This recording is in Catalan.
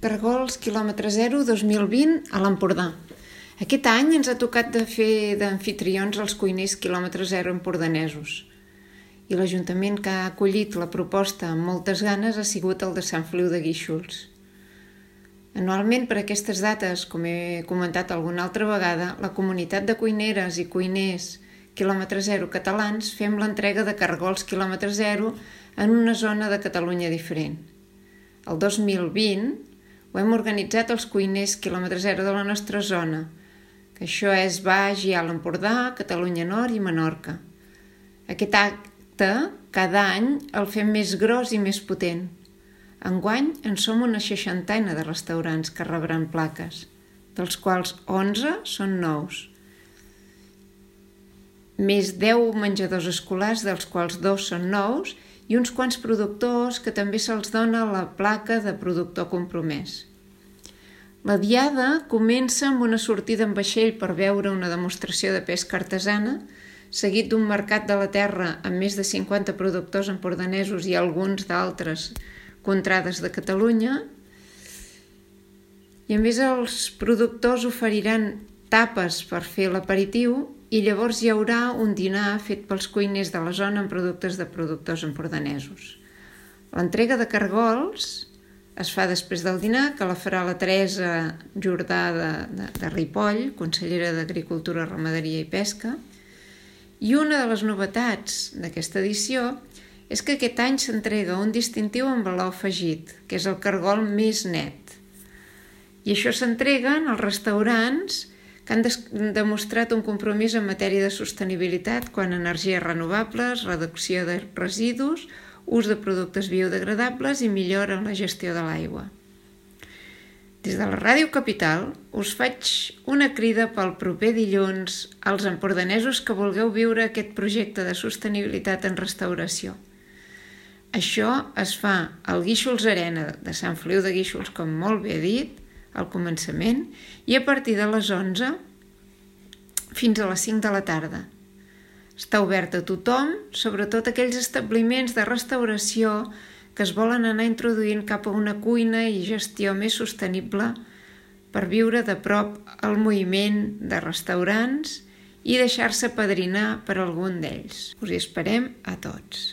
Caragols quilòmetre 0 2020 a l'Empordà. Aquest any ens ha tocat de fer d'amfitrions els cuiners quilòmetre 0 empordanesos. I l'Ajuntament que ha acollit la proposta amb moltes ganes ha sigut el de Sant Feliu de Guíxols. Anualment, per aquestes dates, com he comentat alguna altra vegada, la comunitat de cuineres i cuiners quilòmetre 0 catalans fem l'entrega de caragols quilòmetre 0 en una zona de Catalunya diferent. El 2020 ho hem organitzat els cuiners quilòmetre 0 de la nostra zona, que això és Baix i Alt Empordà, Catalunya Nord i Menorca. Aquest acte, cada any, el fem més gros i més potent. Enguany en som una 60ena de restaurants que rebran plaques, dels quals 11 són nous. Més 10 menjadors escolars, dels quals 2 són nous, i uns quants productors que també se'ls dona la placa de productor compromès. La diada comença amb una sortida en vaixell per veure una demostració de pesca artesana, seguit d'un mercat de la terra amb més de 50 productors empordanesos i alguns d'altres contrades de Catalunya. I a més els productors oferiran tapes per fer l'aperitiu i llavors hi haurà un dinar fet pels cuiners de la zona amb productes de productors empordanesos. L'entrega de caragols es fa després del dinar, que la farà la Teresa Jordà de Ripoll, consellera d'Agricultura, Ramaderia i Pesca. I una de les novetats d'aquesta edició és que aquest any s'entrega un distintiu amb valor afegit, que és el caragol més net. I això s'entrega als restaurants que han demostrat un compromís en matèria de sostenibilitat quant a energies renovables, reducció de residus, ús de productes biodegradables i millora en la gestió de l'aigua. Des de la Ràdio Capital us faig una crida pel proper dilluns als empordanesos que vulgueu viure aquest projecte de sostenibilitat en restauració. Això es fa al Guíxols Arena de Sant Feliu de Guíxols, com molt bé he dit, al començament, i a partir de les 11 fins a les 5 de la tarda. Està obert a tothom, sobretot aquells establiments de restauració que es volen anar introduint cap a una cuina i gestió més sostenible per viure de prop el moviment de restaurants i deixar-se apadrinar per algun d'ells. Us hi esperem a tots.